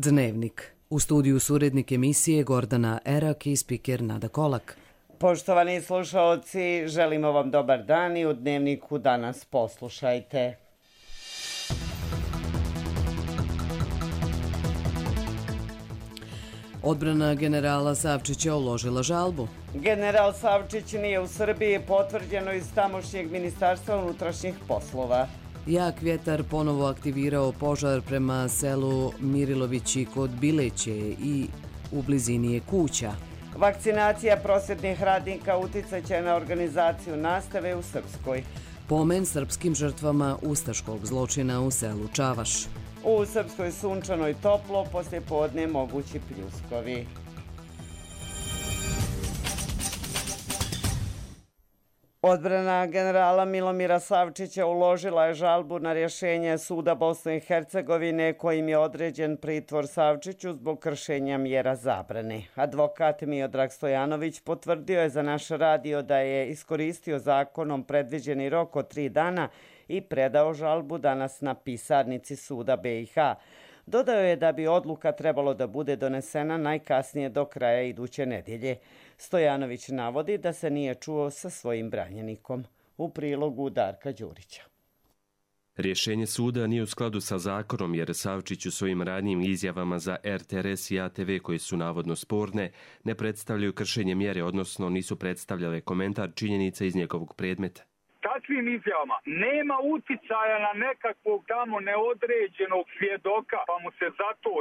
Dnevnik. U studiju su urednik emisije Gordana Erak i spiker Nada Kolak. Poštovani slušaoci, želimo vam dobar dan i u Dnevniku danas poslušajte. Odbrana generala Savčića uložila žalbu. General Savčić nije u Srbiji, potvrđeno iz tamošnjeg ministarstva unutrašnjih poslova. Jak vjetar ponovo aktivirao požar prema selu Mirilovići kod Bileće i u blizini je kuća. Vakcinacija prosvjetnih radnika uticat će na organizaciju nastave u Srpskoj. Pomen srpskim žrtvama ustaškog zločina u selu Čavaš. U Srpskoj sunčano i toplo, poslije podne mogući pljuskovi. Odbrana generala Milomira Savčića uložila je žalbu na rješenje suda Bosne i Hercegovine kojim je određen pritvor Savčiću zbog kršenja mjera zabrane. Advokat Miodrag Stojanović potvrdio je za naš radio da je iskoristio zakonom predviđeni rok od 3 dana i predao žalbu danas na pisarnici suda BiH. Dodao je da bi odluka trebalo da bude donesena najkasnije do kraja iduće nedjelje. Stojanović navodi da se nije čuo sa svojim branjenikom. U prilogu Darka Đurića. Rješenje suda nije u skladu sa zakonom jer Savčić u svojim ranijim izjavama za RTRS i ATV koje su navodno sporne ne predstavljaju kršenje mjere, odnosno nisu predstavljale komentar činjenica iz njegovog predmeta. Takvim izjavama nema uticaja na nekakvog tamo neodređenog svjedoka, pa mu se zato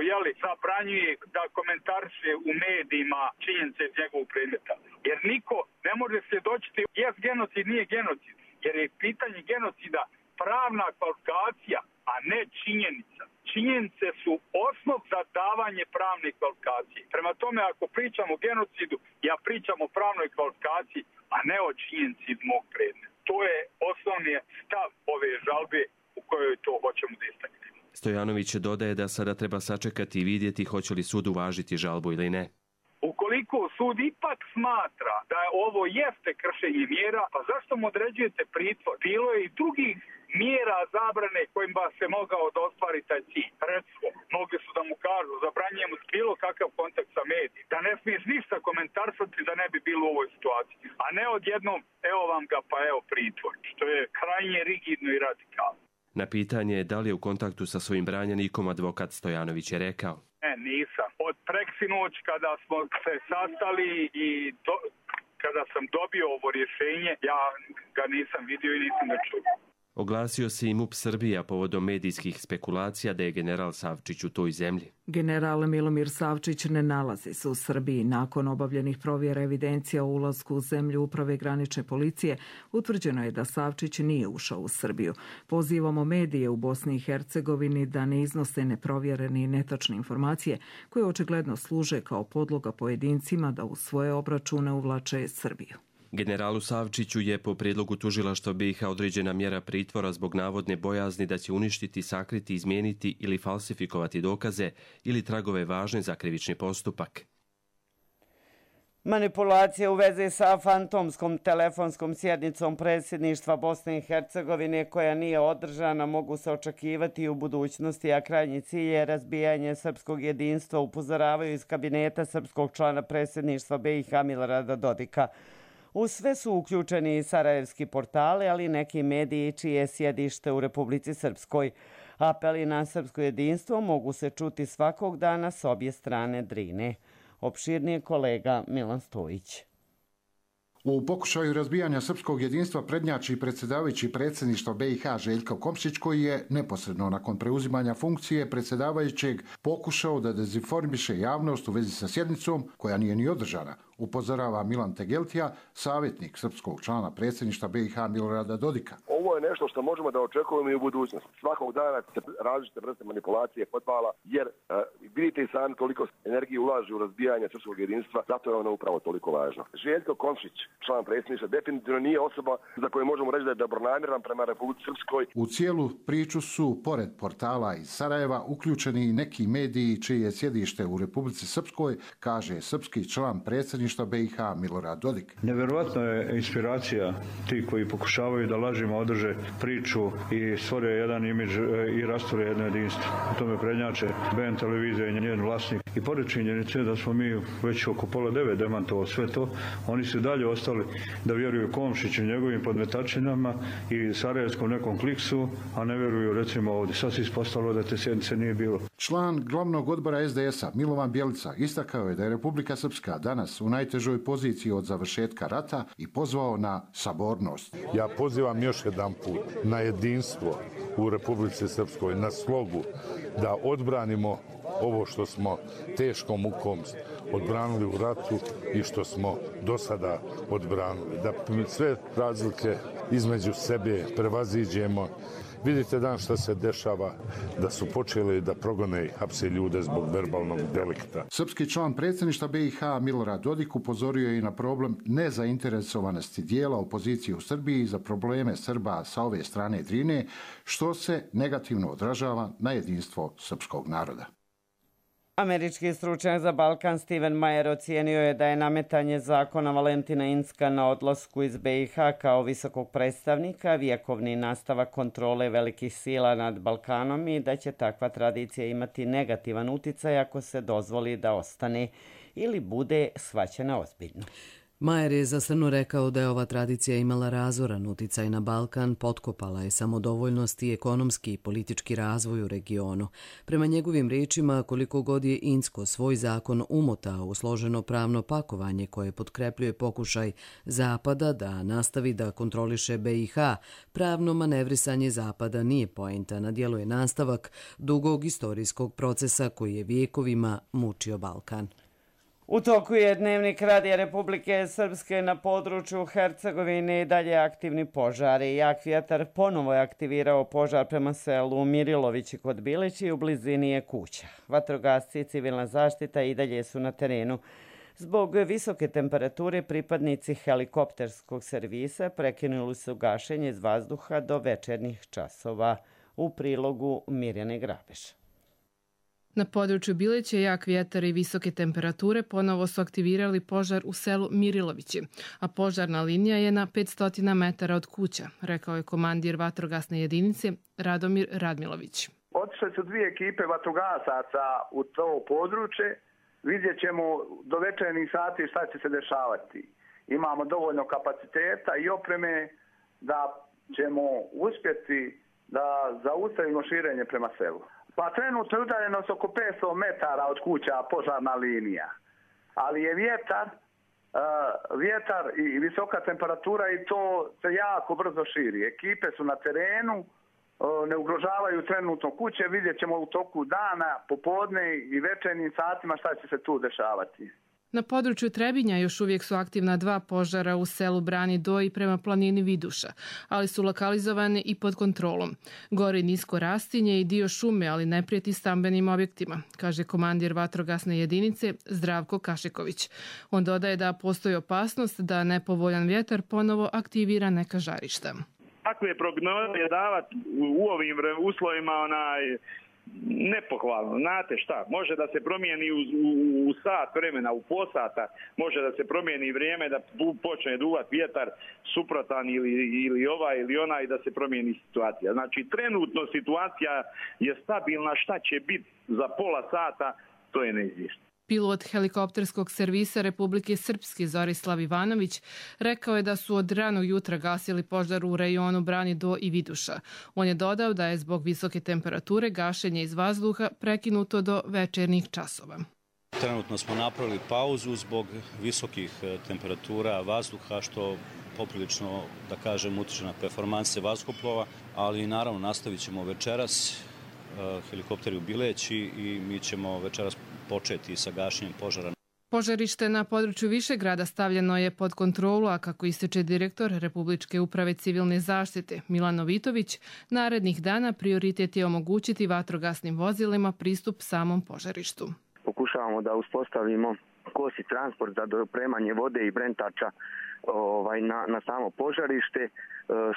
zabranjuje da komentariše u medijima činjenice iz njegovog predmeta. Jer niko ne može svjedočiti jes genocid, nije genocid, jer je pitanje genocida pravna kvalifikacija, a ne činjenica. Činjenice su osnov za davanje pravne kvalifikacije. Prema tome, ako pričamo o genocidu, ja pričam o pravnoj kvalifikaciji, a ne o činjenici iz mog predmeta. To je osnovni stav ove žalbe u kojoj to hoćemo da istaknemo. Stojanović dodaje da sada treba sačekati i vidjeti hoće li sud uvažiti žalbu ili ne. Ukoliko sud ipak smatra da ovo jeste kršenje mjera, pa zašto mu određujete pritvor? Bilo je i drugih mjera zabrane kojima se mogao da ostvari taj cilj. Recimo, mogli su da mu kažu, zabranjujemo bilo kakav kontakt sa medijima, da ne smiješ ništa komentarsati da ne bi bilo u ovoj situaciji. A ne odjednom, evo vam ga, pa evo pritvor, što je krajnje rigidno i radikalno. Na pitanje da li je u kontaktu sa svojim branjenikom, advokat Stojanović je rekao: Ne, nisam. Od preksinoć kada smo se sastali i kada sam dobio ovo rješenje, ja ga nisam vidio i nisam ga čuo. Oglasio se i MUP Srbija povodom medijskih spekulacija da je general Savčić u toj zemlji. General Milomir Savčić ne nalazi se u Srbiji. Nakon obavljenih provjera evidencija o ulasku u zemlju Uprave granične policije, utvrđeno je da Savčić nije ušao u Srbiju. Pozivamo medije u Bosni i Hercegovini da ne iznose neprovjerene i netačne informacije koje očigledno služe kao podloga pojedincima da u svoje obračune uvlače Srbiju. Generalu Savčiću je po prijedlogu tužilaštva BiH određena mjera pritvora zbog navodne bojazni da će uništiti, sakriti, izmijeniti ili falsifikovati dokaze ili tragove važne za krivični postupak. Manipulacije u vezi sa fantomskom telefonskom sjednicom predsjedništva Bosne i Hercegovine koja nije održana mogu se očekivati i u budućnosti, a krajnji cilj je razbijanje srpskog jedinstva, upozoravaju iz kabineta srpskog člana predsjedništva BiH Milorada Dodika. U sve su uključeni i sarajevski portali, ali i neki mediji čije je sjedište u Republici Srpskoj. Apeli na srpsko jedinstvo mogu se čuti svakog dana s obje strane Drine. Opširnije kolega Milan Stojić. U pokušaju razbijanja srpskog jedinstva prednjači predsjedavajući predsjedništva BiH Željko Komšić, koji je neposredno nakon preuzimanja funkcije predsjedavajućeg pokušao da dezinformiše javnost u vezi sa sjednicom koja nije ni održana, upozorava Milan Tegeltija, savjetnik srpskog člana predsjedništva BiH Milorada Dodika. Ovo je nešto što možemo da očekujemo i u budućnosti. Svakog dana se različite vrste manipulacije podvala, jer vidite i sami koliko energije ulaže u razbijanje srpskog jedinstva, zato je ono upravo toliko važno. Željko Komšić, član predsjedništva, definitivno nije osoba za koju možemo reći da je dobronamjeran prema Republici Srpskoj. U cijelu priču su, pored portala iz Sarajeva, uključeni i neki mediji čije je sjedište u Republici Srpskoj, kaže srpski član predsjedništva predsjedništva BiH Milorad Dodik. Nevjerovatna je inspiracija ti koji pokušavaju da lažima održe priču i stvore jedan imidž i rastvore jedno jedinstvo. U tome prednjače BN televizija i njen vlasnik. I pored činjenice da smo mi već oko 8:30 demantovali sve to, oni su dalje ostali da vjeruju Komšiću, njegovim podmetačinama i sarajevskom nekom kliksu, a ne vjeruju recimo ovdje. Sad se ispostavilo da te sjednice nije bilo. Član glavnog odbora SDS-a Milovan Bjelica istakao je da je Republika Srpska danas u najtežoj poziciji od završetka rata i pozvao na sabornost. Ja pozivam još jedan put na jedinstvo u Republici Srpskoj, na slogu, da odbranimo ovo što smo teškom mukom odbranili u ratu i što smo do sada odbranili. Da sve razlike između sebe prevaziđemo. Vidite danas šta se dešava, da su počeli da progone i hapse ljude zbog verbalnog delikta. Srpski član predsjedništva BiH Milorad Dodik upozorio je i na problem nezainteresovanosti dijela opozicije u Srbiji za probleme Srba sa ove strane Drine, što se negativno odražava na jedinstvo srpskog naroda. Američki stručnjak za Balkan Steven Mayer ocijenio je da je nametanje zakona Valentina Incka na odlasku iz BiH kao visokog predstavnika vjekovni nastavak kontrole velikih sila nad Balkanom i da će takva tradicija imati negativan uticaj ako se dozvoli da ostane ili bude shvaćena ozbiljno. Majer je za Srnu rekao da je ova tradicija imala razoran uticaj na Balkan, potkopala je samodovoljnost i ekonomski i politički razvoj u regionu. Prema njegovim riječima, koliko god je Incko svoj zakon umotao u složeno pravno pakovanje koje potkrepljuje pokušaj Zapada da nastavi da kontroliše BiH, pravno manevrisanje Zapada nije poenta, na djelu je nastavak dugog istorijskog procesa koji je vijekovima mučio Balkan. U toku je Dnevnik Radija Republike Srpske na području Hercegovine i dalje aktivni požari. Jak vjetar ponovo je aktivirao požar prema selu Mirilovići kod Bileći i u blizini je kuća. Vatrogasci i civilna zaštita i dalje su na terenu. Zbog visoke temperature pripadnici helikopterskog servisa prekinuli su gašenje iz vazduha do večernjih časova. U prilogu Mirjane Grabeš. Na području Bileće jak vjetar i visoke temperature ponovo su aktivirali požar u selu Mirilovići, a požarna linija je na 500 metara od kuća, rekao je komandir vatrogasne jedinice Radomir Radmilović. Otišle su 2 ekipe vatrogasaca u to područje, vidjet ćemo do večernjih sati šta će se dešavati. Imamo dovoljno kapaciteta i opreme da ćemo uspjeti da zaustavimo širenje prema selu. Pa trenutno je udaljenost oko 500 metara od kuća požarna linija, ali je vjetar i visoka temperatura i to se jako brzo širi. Ekipe su na terenu, ne ugrožavaju trenutno kuće, vidjet ćemo u toku dana, popodne i večernjim satima šta će se tu dešavati. Na području Trebinja još uvijek su aktivna 2 požara u selu Brani Do i prema planini Viduša, ali su lokalizovane i pod kontrolom. Gori nisko rastinje i dio šume, ali ne prijeti stambenim objektima, kaže komandir vatrogasne jedinice Zdravko Kašiković. On dodaje da postoji opasnost da nepovoljan vjetar ponovo aktivira neka žarišta. Takve prognoze davati u ovim uslovima nepohvalno. Znate šta, može da se promijeni u sat vremena, u posata, može da se promijeni vrijeme, da počne duvat vjetar suprotan ili ovaj ili onaj, da se promijeni situacija. Znači, trenutno situacija je stabilna, šta će biti za pola sata, to je neizvjesno. Pilot helikopterskog servisa Republike Srpske Zorislav Ivanović rekao je da su od ranog jutra gasili požar u rejonu Brani Do i Viduša. On je dodao da je zbog visoke temperature gašenje iz vazduha prekinuto do večernjih časova. Trenutno smo napravili pauzu zbog visokih temperatura vazduha, što poprilično, da kažem, utiče na performanse vazduhoplova, ali naravno nastavit ćemo večeras, helikopteri u Bileći, i mi ćemo večeras početi sa gašenjem požara. Požarište na području Višegrada stavljeno je pod kontrolu, a kako ističe direktor Republičke uprave civilne zaštite Milan Novitović, narednih dana prioritet je omogućiti vatrogasnim vozilima pristup samom požarištu. Pokušavamo da uspostavimo kosi transport za dopremanje vode i brentača na samo požarište.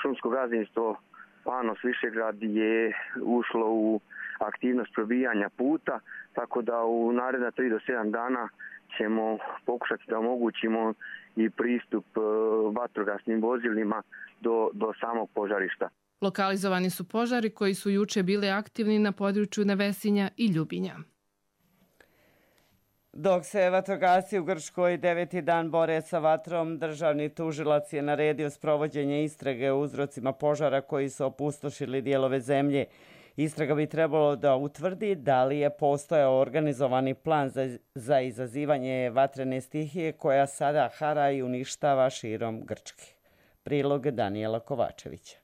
Šumsko gazdinstvo Panos Višegrad je ušlo u aktivnost probijanja puta, tako da u naredna 3 do 7 dana ćemo pokušati da omogućimo i pristup vatrogasnim vozilima do samog požarišta. Lokalizovani su požari koji su juče bili aktivni na području Nevesinja i Ljubinja. Dok se vatrogasci u Grčkoj 9. dan bore sa vatrom, državni tužilac je naredio sprovođenje istrage o uzrocima požara koji su opustošili dijelove zemlje. Istraga bi trebalo da utvrdi da li je postojao organizovani plan za izazivanje vatrene stihije koja sada hara i uništava širom Grčke. Prilog Danijela Kovačevića.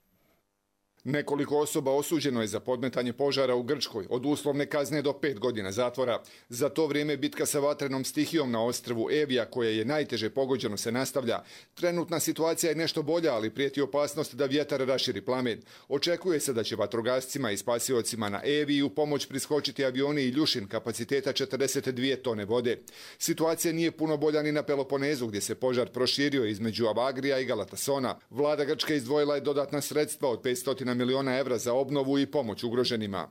Nekoliko osoba osuđeno je za podmetanje požara u Grčkoj, od uslovne kazne do 5 godina zatvora. Za to vrijeme bitka sa vatrenom stihijom na ostrvu Evija, koja je najteže pogođeno, se nastavlja. Trenutna situacija je nešto bolja, ali prijeti opasnost da vjetar raširi plamen. Očekuje se da će vatrogascima i spasiocima na Eviji u pomoć priskočiti avioni i ljušin kapaciteta 42 tone vode. Situacija nije puno bolja ni na Peloponezu, gdje se požar proširio između Avagrija i Galatasona. Vlada Grčke izdvojila je dodatna sredstva od 500 miliona evra za obnovu i pomoć ugroženima.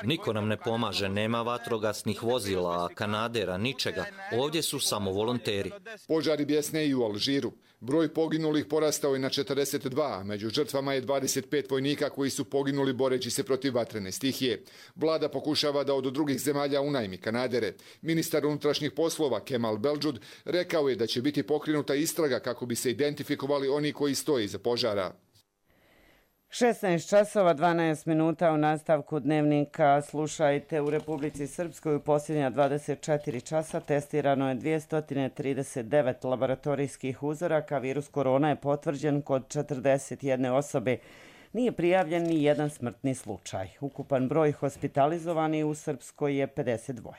Niko nam ne pomaže, nema vatrogasnih vozila, kanadera, ničega. Ovdje su samo volonteri. Požari bjesne i u Alžiru. Broj poginulih porastao je na 42, a među žrtvama je 25 vojnika koji su poginuli boreći se protiv vatrene stihije. Vlada pokušava da od drugih zemalja unajmi kanadere. Ministar unutrašnjih poslova Kemal Beldžud rekao je da će biti pokrenuta istraga kako bi se identifikovali oni koji stoje iza požara. 16 časova 12 minuta u nastavku dnevnika. Slušajte, u Republici Srpskoj u posljednja 24 časa testirano je 239 laboratorijskih uzoraka. Virus korona je potvrđen kod 41 osobe. Nije prijavljen ni jedan smrtni slučaj. Ukupan broj hospitalizovanih u Srpskoj je 52.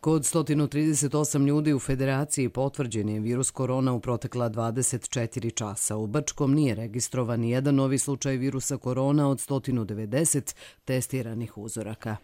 Kod 138 ljudi u Federaciji potvrđen je virus korona u protekla 24 časa. U Brčkom nije registrovan ni jedan novi slučaj virusa korona od 190 testiranih uzoraka.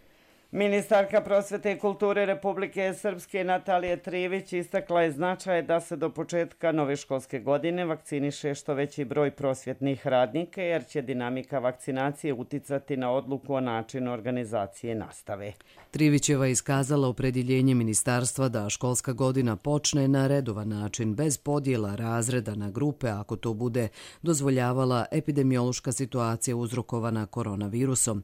Ministarka prosvete i kulture Republike Srpske Natalija Trivić istakla je značaj da se do početka nove školske godine vakciniše što veći broj prosvjetnih radnika, jer će dinamika vakcinacije uticati na odluku o načinu organizacije nastave. Trivićeva je iskazala opredjeljenje ministarstva da školska godina počne na redovan način, bez podjela razreda na grupe, ako to bude dozvoljavala epidemiološka situacija uzrokovana koronavirusom.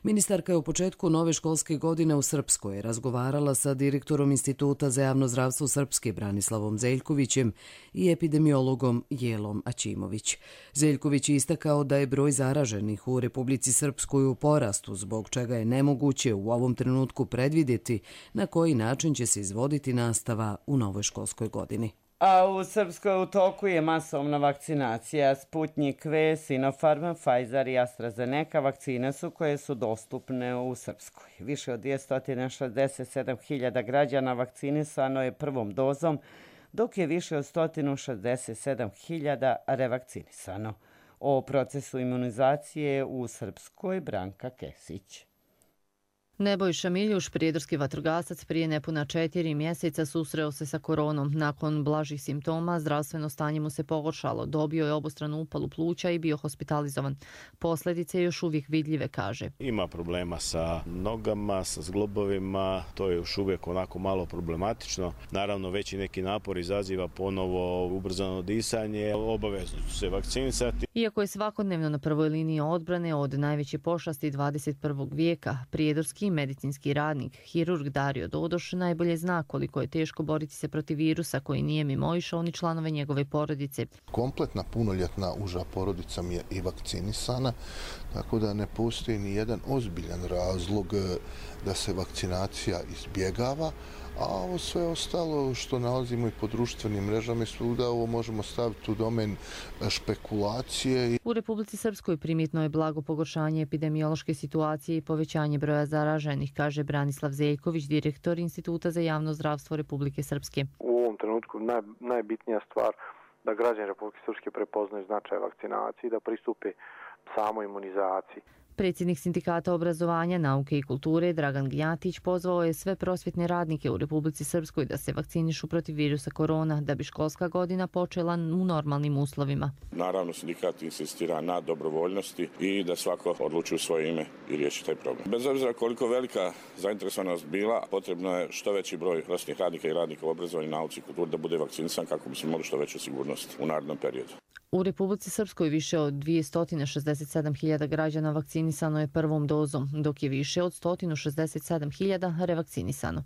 Ministarka je u početku nove školske godine u Srpskoj razgovarala sa direktorom Instituta za javno zdravstvo Srpske Branislavom Zeljkovićem i epidemiologom Jelom Aćimović. Zeljković je istakao da je broj zaraženih u Republici Srpskoj u porastu, zbog čega je nemoguće u ovom trenutku predvidjeti na koji način će se izvoditi nastava u novoj školskoj godini. A u Srpskoj u toku je masovna vakcinacija. Sputnik V, Sinopharm, Pfizer i AstraZeneca vakcine su koje su dostupne u Srpskoj. Više od 267.000 građana vakcinisano je prvom dozom, dok je više od 167.000 revakcinisano. O procesu imunizacije u Srpskoj Branka Kesić. Nebojša Miljuš, prijedorski vatrogasac, prije nepuna 4 mjeseca susreo se sa koronom. Nakon blažih simptoma, zdravstveno stanje mu se pogoršalo. Dobio je obostranu upalu pluća i bio hospitalizovan. Posljedice još uvijek vidljive, kaže. Ima problema sa nogama, sa zglobovima, to je još uvijek onako malo problematično. Naravno, veći neki napor izaziva ponovo ubrzano disanje, obavezno ću se vakcinisati. Iako je svakodnevno na prvoj liniji odbrane od najveće pošasti 21. vijeka, prijedorski medicinski radnik, hirurg Dario Dodoš najbolje zna koliko je teško boriti se protiv virusa koji nije mimoišao ni članove njegove porodice. Kompletna punoljetna uža porodica mi je i vakcinisana, tako da ne postoji ni jedan ozbiljan razlog da se vakcinacija izbjegava, a ovo sve ostalo što nalazimo i po društvenim mrežama i svuda, ovo možemo staviti u domen špekulacije. U Republici Srpskoj primjetno je blago pogoršanje epidemiološke situacije i povećanje broja zaraženih, kaže Branislav Zeljković, direktor Instituta za javno zdravstvo Republike Srpske. U ovom trenutku najbitnija stvar da građani Republike Srpske prepoznaju značaj vakcinacije i da pristupe samoj imunizaciji. Predsjednik Sindikata obrazovanja, nauke i kulture Dragan Gnjatić pozvao je sve prosvjetne radnike u Republici Srpskoj da se vakcinišu protiv virusa korona, da bi školska godina počela u normalnim uslovima. Naravno, sindikat insistira na dobrovoljnosti i da svako odluči u svoje ime i riješi taj problem. Bez obzira koliko velika zainteresovanost bila, potrebno je što veći broj prosvjetnih radnika i radnika u obrazovanju, nauci i kulturi da bude vakcinisan kako bismo imali što veću sigurnost u narednom periodu. U Republici Srpskoj više od 267.000 građana vakcinisano je prvom dozom, dok je više od 167.000 revakcinisano.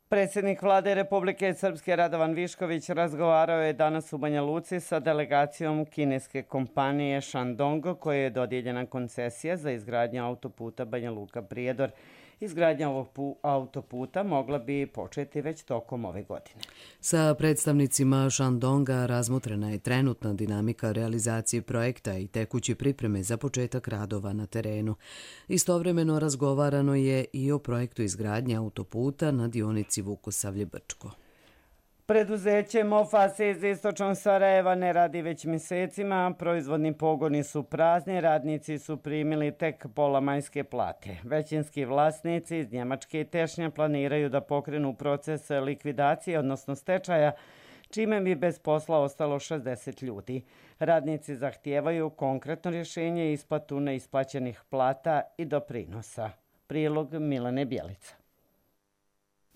Predsjednik vlade Republike Srpske Radovan Višković razgovarao je danas u Banja Luci sa delegacijom kineske kompanije Shandong, koje je dodijeljena koncesija za izgradnju autoputa Banja Luka-Prijedor. Izgradnja ovog autoputa mogla bi početi već tokom ove godine. Sa predstavnicima Shandonga razmotrena je trenutna dinamika realizacije projekta i tekuće pripreme za početak radova na terenu. Istovremeno razgovarano je i o projektu izgradnje autoputa na dionici Vukosavlje-Brčko. Preduzeće Mofas iz istočnog Sarajeva ne radi već mjesecima, proizvodni pogoni su prazni, radnici su primili tek pola majske plate. Većinski vlasnici iz Njemačke i Tešnja planiraju da pokrenu proces likvidacije, odnosno stečaja, čime bi bez posla ostalo 60 ljudi. Radnici zahtijevaju konkretno rješenje i isplatu neisplaćenih plata i doprinosa. Prilog Milane Bjelica.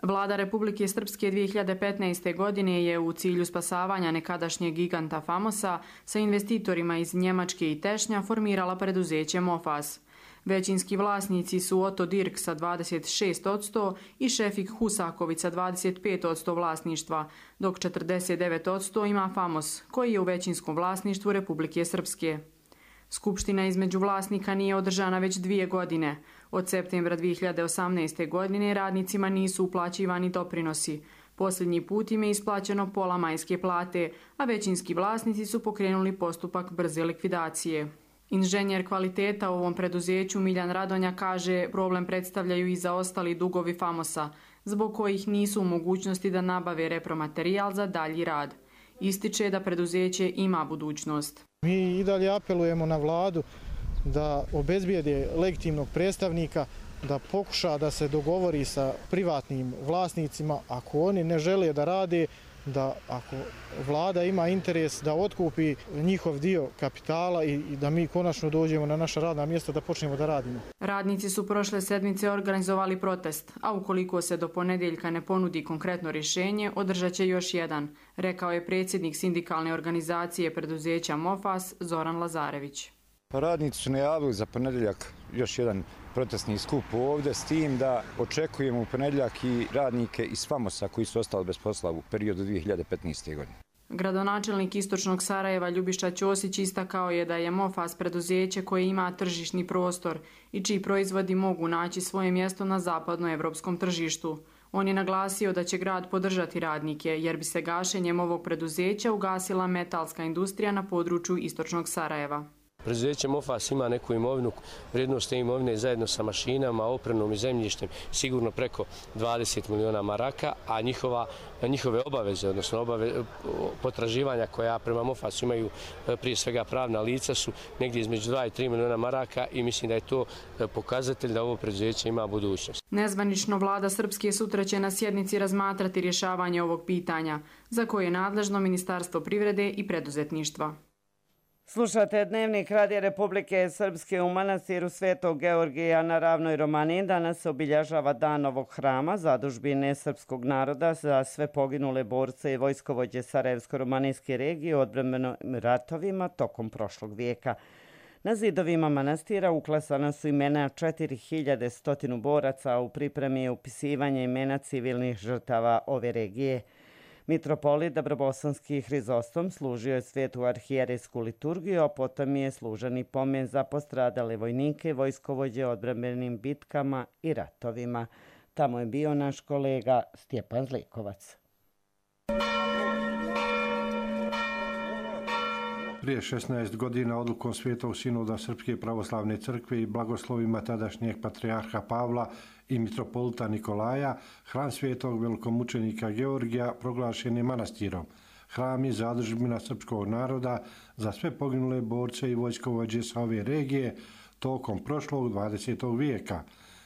Vlada Republike Srpske 2015. godine je u cilju spasavanja nekadašnjeg giganta Famosa sa investitorima iz Njemačke i Tešnja formirala preduzeće Mofas. Većinski vlasnici su Otto Dirk sa 26% i Šefik Husaković sa 25% vlasništva, dok 49% ima Famos, koji je u većinskom vlasništvu Republike Srpske. Skupština između vlasnika nije održana već 2 godine. Od septembra 2018. godine radnicima nisu uplaćivani doprinosi. Posljednji put im je isplaćeno pola majske plate, a većinski vlasnici su pokrenuli postupak brze likvidacije. Inženjer kvaliteta u ovom preduzeću Miljan Radonja kaže problem predstavljaju i zaostali dugovi Famosa, zbog kojih nisu u mogućnosti da nabave repromaterijal za dalji rad. Ističe da preduzeće ima budućnost. Mi i dalje apelujemo na vladu da obezbijede legitimnog predstavnika, da pokuša da se dogovori sa privatnim vlasnicima, ako oni ne žele da rade, da ako vlada ima interes da otkupi njihov dio kapitala i da mi konačno dođemo na naša radna mjesta da počnemo da radimo. Radnici su prošle sedmice organizovali protest, a ukoliko se do ponedjeljka ne ponudi konkretno rješenje, održat će još jedan, rekao je predsjednik sindikalne organizacije preduzeća Mofas Zoran Lazarević. Radnici su najavili za ponedjeljak još jedan protestni skup ovdje, s tim da očekujemo u ponedjeljak i radnike iz Famosa koji su ostali bez posla u periodu 2015. godine. Gradonačelnik istočnog Sarajeva Ljubiša Ćosić istakao je da je Mofas preduzeće koje ima tržišni prostor i čiji proizvodi mogu naći svoje mjesto na zapadnoevropskom tržištu. On je naglasio da će grad podržati radnike jer bi se gašenjem ovog preduzeća ugasila metalska industrija na području istočnog Sarajeva. Preduzeće Mofas ima neku imovinu, vrijednost te imovine zajedno sa mašinama, opremom i zemljištem sigurno preko 20 miliona maraka, a njihove obaveze, odnosno potraživanja koja prema Mofasu imaju prije svega pravna lica su negdje između 2 i 3 miliona maraka i mislim da je to pokazatelj da ovo preduzeće ima budućnost. Nezvanično vlada Srpske sutra će na sjednici razmatrati rješavanje ovog pitanja, za koje je nadležno Ministarstvo privrede i preduzetništva. Slušate Dnevnik Radija Republike Srpske. U manastiru Svetog Georgija na Ravnoj Romaniji danas se obilježava Dan ovog hrama zadužbine srpskog naroda za sve poginule borce i vojskovođe Sarajevsko-romanijske regije u odbrambenim ratovima tokom prošlog vijeka. Na zidovima manastira uklesana su imena 4100 boraca, a u pripremi je upisivanje imena civilnih žrtava ove regije. Mitropolit Dabrobosanski Hrizostom služio je svetu arhijerejsku liturgiju, a potom je služen i pomen za postradale vojnike i vojskovođe odbrambenim bitkama i ratovima. Tamo je bio naš kolega Stjepan Zlikovac. Prije 16 godina odlukom Svetog sinoda Srpske pravoslavne crkve i blagoslovima tadašnjeg patrijarha Pavla i mitropolita Nikolaja, hram Svetog velikomučenika Georgija proglašen je manastirom. Hram je zadužbina srpskog naroda za sve poginule borce i vojskovođe sa ove regije tokom prošlog 20. vijeka.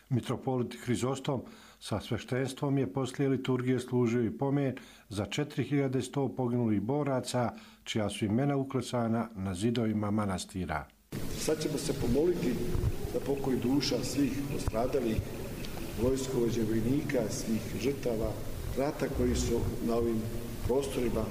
Mitropolit Hrizostom sa sveštenstvom je poslije liturgije služio i pomen za 4100 poginulih boraca, čija su imena uklesana na zidovima manastira. Sad ćemo se pomoliti za pokoj duša svih postradalih vojskovođe, vojnika, svih žrtava rata koji su na ovim prostorima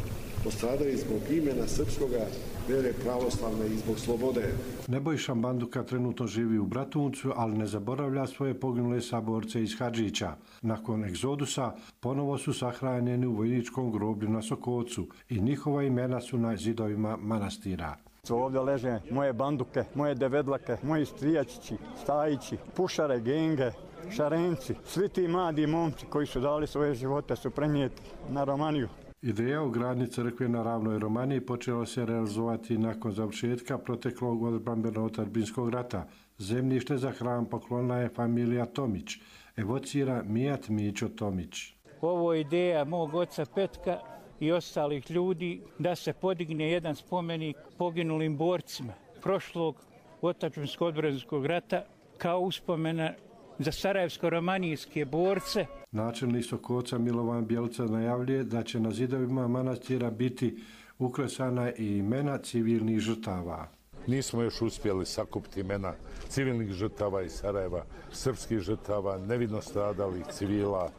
postradali zbog imena srpskoga, vere pravoslavne i zbog slobode. Nebojša Banduka trenutno živi u Bratuncu, ali ne zaboravlja svoje poginule saborce iz Hadžića. Nakon egzodusa ponovo su sahranjeni u vojničkom groblju na Sokocu i njihova imena su na zidovima manastira. Ovdje leže moje banduke, moje devedlake, moji strijačići, stajići, pušare, genge, šarenci. Svi ti mladi momci koji su dali svoje živote su prenijeti na Romaniju. Ideja o gradnji crkve na ravnoj Romaniji počela se realizovati nakon završetka proteklog odbrambeno-otadžbinskog rata. Zemljište za hram poklonila je familija Tomić, evocira Mijat Mićo Tomić. Ovo je ideja mog oca Petka i ostalih ljudi da se podigne jedan spomenik poginulim borcima prošlog otadžbinsko-odbrambenoga rata kao uspomena za sarajevsko-romanijske borce. Načelnik Sokoca Milovan Bjelica najavljuje da će na zidovima manastira biti uklesana i imena civilnih žrtava. Nismo još uspjeli sakupiti imena civilnih žrtava iz Sarajeva, srpskih žrtava, nevidno stradalih civila,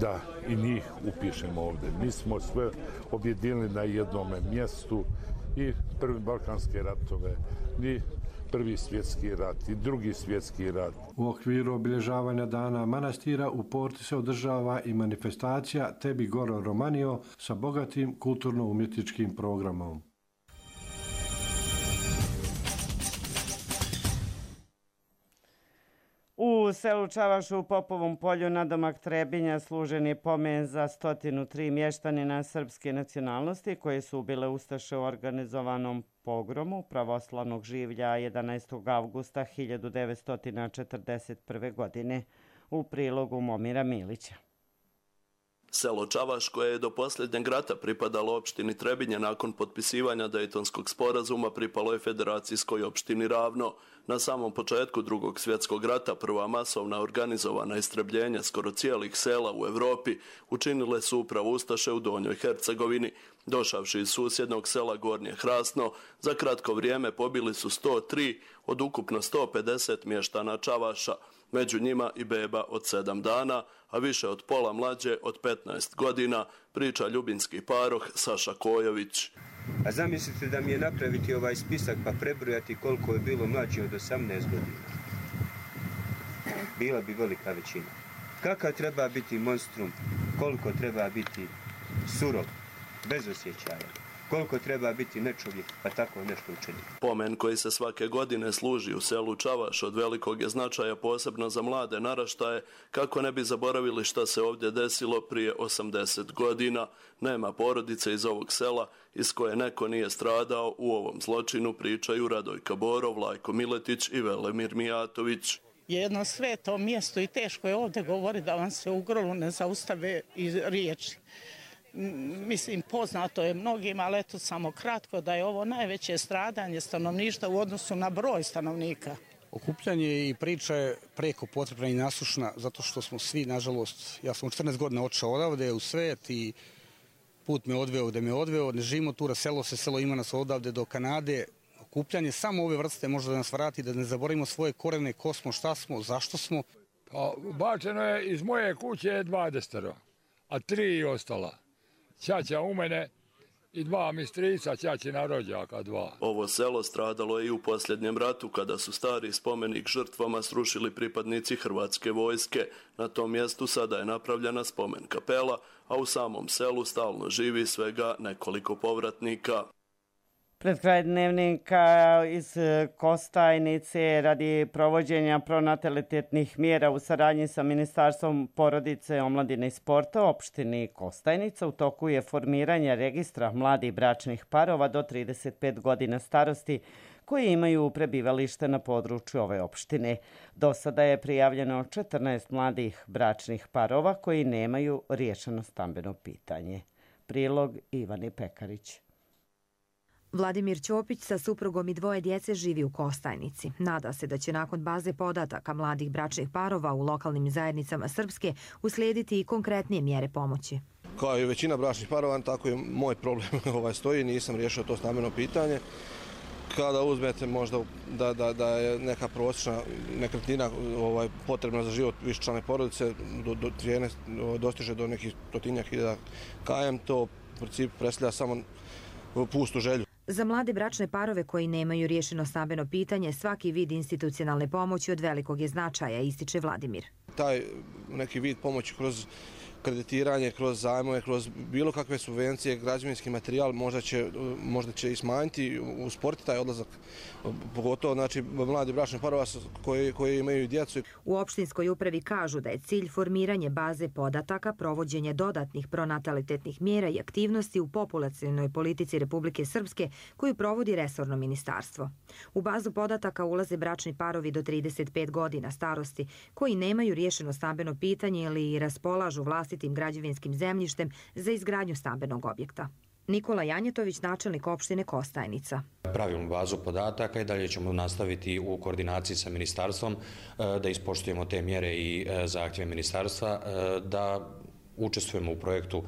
da i njih upišemo ovdje. Mi smo sve objedinili na jednome mjestu, i prvi balkanske ratove, i Prvi svjetski rat i Drugi svjetski rat. U okviru obilježavanja dana manastira u Porti se održava i manifestacija Tebi Goro Romanio sa bogatim kulturno-umjetničkim programom. U selu Čavašu u Popovom polju nadomak Trebinja služen je pomen za 103 mještanina srpske nacionalnosti koji su ubile ustaše u organizovanom pogromu pravoslavnog življa 11. avgusta 1941. godine. U prilogu Momira Milića. Selo Čavaš, koje je do posljednjeg rata pripadalo opštini Trebinje, nakon potpisivanja Dejtonskog sporazuma pripalo je federacijskoj opštini Ravno. Na samom početku Drugog svjetskog rata prva masovna organizovana istrebljenja skoro cijelih sela u Evropi učinile su upravo ustaše u Donjoj Hercegovini. Došavši iz susjednog sela Gornje Hrasno, za kratko vrijeme pobili su 103 od ukupno 150 mještana Čavaša, među njima i beba od 7 dana, a više od pola mlađe od 15 godina, priča ljubinski paroh Saša Kojović. A zamislite da mi je napraviti ovaj spisak pa prebrojati koliko je bilo mlađe od 18 godina. Bila bi velika većina. Kakav treba biti monstrum, koliko treba biti surov, bez osjećaja. Koliko treba biti nečovjek, pa tako nešto učiniti. Pomen koji se svake godine služi u selu Čavaš od velikog je značaja posebno za mlade naraštaje, kako ne bi zaboravili šta se ovdje desilo prije 80 godina. Nema porodice iz ovog sela iz koje neko nije stradao u ovom zločinu, pričaju Radojka Borov, Lajko Miletić i Velemir Mijatović. Jedno sveto mjesto i teško je ovdje govori da vam se u grlu ne zaustave iz riječi. Mislim, poznato je mnogima, ali eto samo kratko da je ovo najveće stradanje stanovništva u odnosu na broj stanovnika. Okupljanje i priča je preko potrebna i nasušna, zato što smo svi, nažalost, ja sam u 14 godina otišao odavde u svet i put me odveo gde me odveo, ne živimo tu, selo ima nas odavde do Kanade. Okupljanje samo ove vrste može da nas vrati, da ne zaboravimo svoje korene, ko smo, šta smo, zašto smo. Pa, bačeno je iz moje kuće 20, a 3 ostala. Ćaća u mene i 2 mi strica, ćaćina rođaka 2. Ovo selo stradalo je i u posljednjem ratu kada su stari spomenik žrtvama srušili pripadnici Hrvatske vojske. Na tom mjestu sada je napravljena spomen kapela, a u samom selu stalno živi svega nekoliko povratnika. Pred kraj dnevnika iz Kostajnice radi provođenja pronatalitetnih mjera u saradnji sa Ministarstvom porodice, omladine i sporta opštini Kostajnica u toku je formiranje registra mladih bračnih parova do 35 godina starosti koji imaju prebivalište na području ove opštine. Do sada je prijavljeno 14 mladih bračnih parova koji nemaju riješeno stambeno pitanje. Prilog Ivani Pekarić. Vladimir Ćopić sa suprugom i 2 djece živi u Kostajnici. Nada se da će nakon baze podataka mladih bračnih parova u lokalnim zajednicama Srpske uslijediti i konkretnije mjere pomoći. Kao i većina bračnih parova, tako i moj problem stoji, nisam riješio to stambeno pitanje. Kada uzmete možda da je neka prosječna nekretnina potrebna za život višečlane porodice, cijene dostiže do nekih 100.000 km, to u principu predstavlja samo pustu želju. Za mlade bračne parove koji nemaju riješeno stambeno pitanje, svaki vid institucionalne pomoći od velikog je značaja, ističe Vladimir. Taj neki vid pomoći kroz kreditiranje, kroz zajmove, kroz bilo kakve subvencije, građevinski materijal možda će i smanjiti, usporiti taj odlazak, pogotovo znači mladi bračni parova koji imaju djecu. U opštinskoj upravi kažu da je cilj formiranje baze podataka, provođenje dodatnih pronatalitetnih mjera i aktivnosti u populacionoj politici Republike Srpske koju provodi resorno ministarstvo. U bazu podataka ulaze bračni parovi do 35 godina starosti koji nemaju riješeno stambeno pitanje ili raspolažu vlastitim građevinskim zemljištem za izgradnju stambenog objekta. Nikola Janjetović, načelnik opštine Kostajnica. Pravimo bazu podataka i dalje ćemo nastaviti u koordinaciji sa ministarstvom da ispoštujemo te mjere i zahtjeve ministarstva da učestvujemo u projektu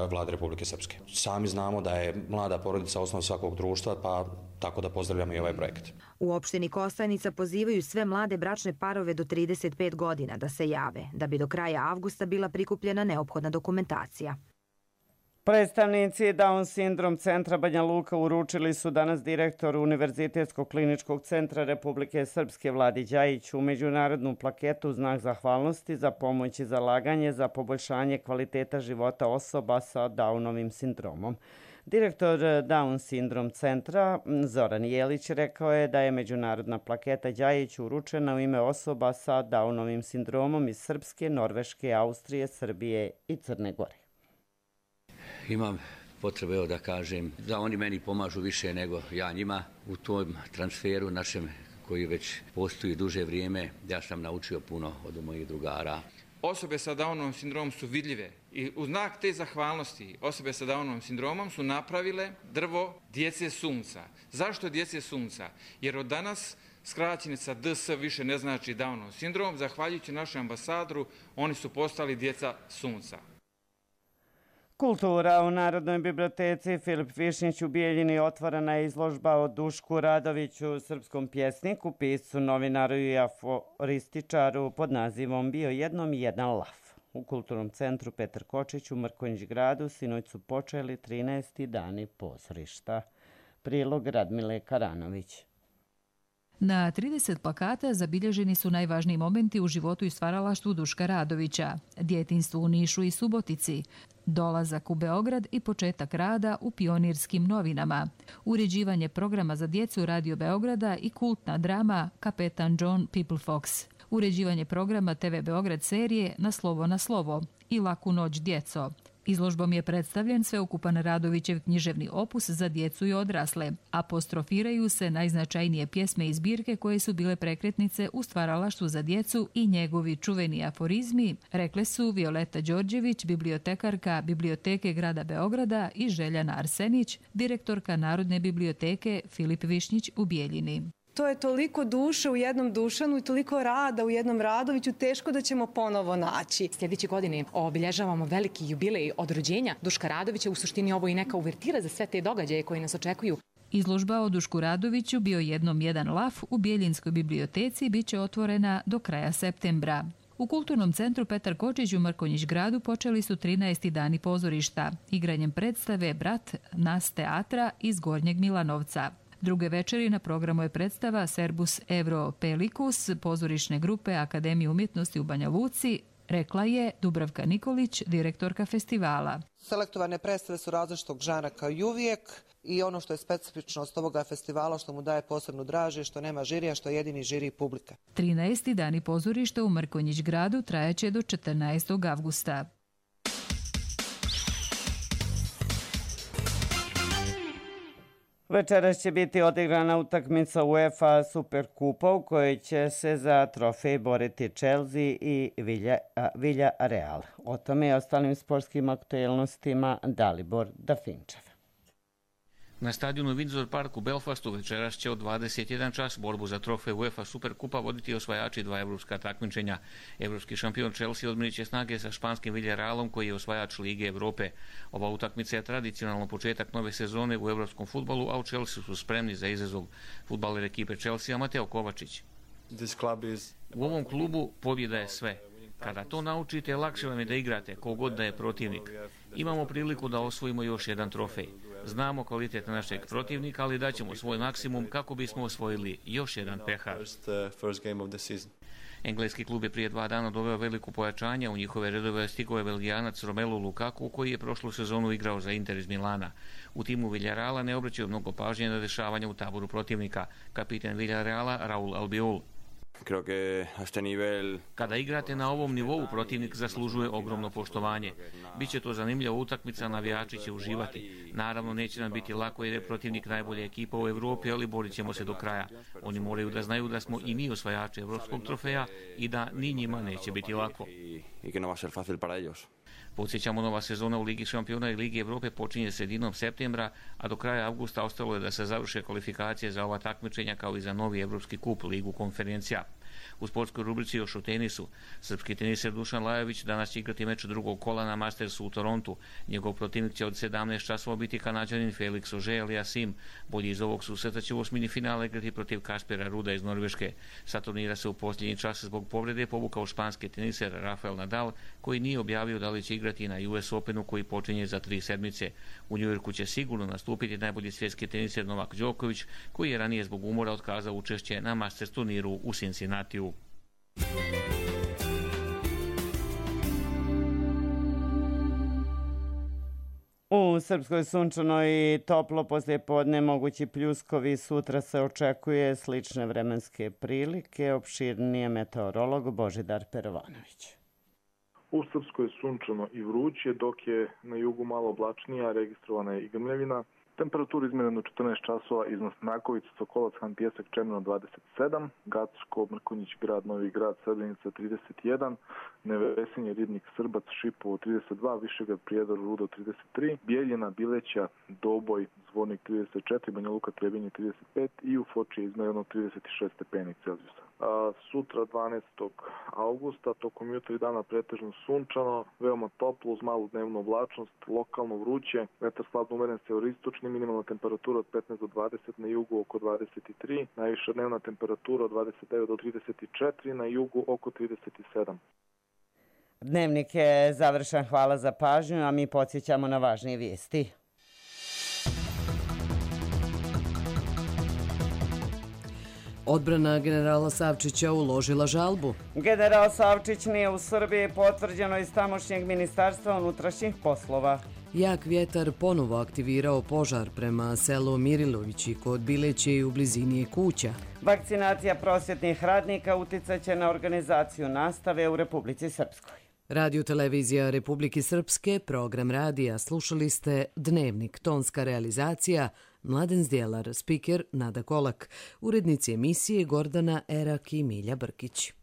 Vlade Republike Srpske. Sami znamo da je mlada porodica osnov svakog društva, pa tako da pozdravljamo i ovaj projekt. U opštini Kostajnica pozivaju sve mlade bračne parove do 35 godina da se jave, da bi do kraja avgusta bila prikupljena neophodna dokumentacija. Predstavnici Down sindrom centra Banja Luka uručili su danas direktoru Univerzitetskog kliničkog centra Republike Srpske Vladi Đajiću međunarodnu plaketu u znak zahvalnosti za pomoć i zalaganje za poboljšanje kvaliteta života osoba sa Downovim sindromom. Direktor Down sindrom centra Zoran Jelić rekao je da je međunarodna plaketa Đajiću uručena u ime osoba sa Downovim sindromom iz Srpske, Norveške, Austrije, Srbije i Crne Gore. Imam potrebe da kažem da oni meni pomažu više nego ja njima u tom transferu našem koji već postoji duže vrijeme. Ja sam naučio puno od mojih drugara. Osobe sa Downovim sindromom su vidljive i u znak te zahvalnosti osobe sa Downovim sindromom su napravile drvo djece sunca. Zašto djece sunca? Jer od danas skraćenica DS više ne znači Downov sindrom. Zahvaljujući našem ambasadoru oni su postali djeca sunca. Kultura u Narodnoj biblioteci Filip Višnjić u Bijeljini otvorena je izložba o Dušku Radoviću, srpskom pjesniku, piscu, novinaru i aforističaru pod nazivom Bio jednom jedan laf. U Kulturnom centru Petar Kočić u Mrkonjić gradu sinoć su počeli 13. dani pozorišta. Prilog Radmile Karanović. Na 30 plakata zabilježeni su najvažniji momenti u životu i stvaralaštvu Duška Radovića, djetinjstvu u Nišu i Subotici, dolazak u Beograd i početak rada u Pionirskim novinama, uređivanje programa za djecu Radio Beograda i kultna drama Kapetan John People Fox, uređivanje programa TV Beograd serije Na slovo i Laku noć djeco. Izložbom je predstavljen sveukupan Radovićev književni opus za djecu i odrasle. Apostrofiraju se najznačajnije pjesme i zbirke koje su bile prekretnice u stvaralaštvu za djecu i njegovi čuveni aforizmi, rekle su Violeta Đorđević, bibliotekarka Biblioteke grada Beograda i Željana Arsenić, direktorka Narodne biblioteke Filip Višnjić u Bijeljini. To je toliko duše u jednom Dušanu i toliko rada u jednom Radoviću, teško da ćemo ponovo naći. Sljedeće godine obilježavamo veliki jubilej od rođenja Duška Radovića. U suštini ovo i neka uvertira za sve te događaje koji nas očekuju. Izložba o Dušku Radoviću Bio jednom jedan laf u Bijeljinskoj biblioteci biće otvorena do kraja septembra. U Kulturnom centru Petar Kočić u Mrkonjić gradu počeli su 13. dani pozorišta, igranjem predstave Brat Nas teatra iz Gornjeg Milanovca. Druge večeri na programu je predstava Serbus Euro Pelicus pozorišne grupe Akademije umjetnosti u Banja Luci, rekla je Dubravka Nikolić, direktorka festivala. Selektovane predstave su različitog žanra kao i uvijek i ono što je specifičnost ovoga festivala, što mu daje posebnu draže, što nema žirija, što je jedini žiri publika. 13. dani pozorišta u Mrkonjić gradu trajaće do 14. avgusta. Večeras će biti odigrana utakmica UEFA Superkupa u kojoj će se za trofej boriti Chelsea i Villarreal. O tome i ostalim sportskim aktuelnostima Dalibor Dafinčev. Na stadionu Windsor Park u Belfastu večeras će od 21 čas borbu za trofej UEFA Superkupa voditi osvajači 2 evropska takmičenja. Evropski šampion Chelsea odmjerit će snage sa španskim Villarrealom koji je osvajač Lige Evrope. Ova utakmica je tradicionalno početak nove sezone u evropskom fudbalu, a u Chelsea su spremni za izazov. Fudbaler ekipe Chelsea Mateo Kovačić. U ovom klubu pobjeda je sve. Kada to naučite, lakše vam je da igrate, kogod da je protivnik. Imamo priliku da osvojimo još jedan trofej. Znamo kvalitet našeg protivnika, ali daćemo svoj maksimum kako bismo osvojili još jedan pehar. Engleski klub je prije 2 dana doveo veliko pojačanje. U njihove redove stigao je Belgijanac Romelu Lukaku, koji je prošlu sezonu igrao za Inter iz Milana. U timu Villarreala ne obraćaju mnogo pažnje na dešavanja u taboru protivnika. Kapitan Villarreala Raul Albiol. Kada igrate na ovom nivou, protivnik zaslužuje ogromno poštovanje. Biće to zanimljiva utakmica, navijači će uživati. Naravno, neće nam biti lako jer je protivnik najbolja ekipa u Evropi, ali borit ćemo se do kraja. Oni moraju da znaju da smo i mi osvajači evropskog trofeja i da ni njima neće biti lako. Podsjećamo, nova sezona u Ligi šampiona i Ligi Evrope počinje sredinom septembra, a do kraja avgusta ostalo je da se završe kvalifikacije za ova takmičenja kao i za novi Evropski kup, Ligu konferencija. U sportskoj rubrici još o tenisu. Srpski teniser Dušan Lajović danas će igrati meč drugog kola na Mastersu u Torontu. Njegov protivnik će od 17 časova biti Kanađanin Felix Auger-Aliassime. Bolji iz ovog susreta će u osmini finala igrati protiv Kaspera Ruda iz Norveške. Sa turnira se u posljednji čas zbog povrede povukao španski teniser Rafael Nadal, koji nije objavio da li će igrati na US Openu koji počinje za 3 sedmice. U Njujorku će sigurno nastupiti najbolji svjetski teniser Novak Đoković, koji je ranije zbog umora otkazao učešće na Masters turniru u Cincinnatiju. U Srpskoj sunčano i toplo poslijepodne, mogući pljuskovi, sutra se očekuje slične vremenske prilike. Opširnije meteorolog Božidar Perovanović. U Srpskoj sunčano i vruće, dok je na jugu malo oblačnija, registrovana je i grmljavina. Temperatura izmjerena 14 časova, iznos Nakovica, Sokolac, Han Pijesak, Čemirno 27, Gacko, Mrkonjić, Grad, Novi Grad, Srebrenica 31, Nevesinje, Ribnik, Srbac, Šipovo 32, Višegrad, Prijedor, Rudo 33, Bijeljina, Bileća, Doboj, Zvornik 34, Banja Luka, Trebinje 35 i u Foči je izmjereno 36 stepeni Celzijusa. Sutra 12. augusta, tokom jutra i dana pretežno sunčano, veoma toplo uz malu dnevnu oblačnost, lokalno vruće, vetar slabno umeren severistočni, minimalna temperatura od 15 do 20, na jugu oko 23, najviša dnevna temperatura od 29 do 34, na jugu oko 37. Dnevnik je završen, hvala za pažnju, a mi podsjećamo na važnije vijesti. Odbrana generala Savčića uložila žalbu. General Savčić nije u Srbiji, potvrđeno iz tamošnjeg ministarstva unutrašnjih poslova. Jak vjetar ponovo aktivirao požar prema selu Mirilovići kod Bileće i u blizini kuća. Vakcinacija prosvjetnih radnika uticaće na organizaciju nastave u Republici Srpskoj. Radio televizija Republike Srpske, program radija, slušali ste Dnevnik, tonska realizacija, Mladen Zdjelar, spiker Nada Kolak, urednici emisije Gordana Erak i Milja Brkić.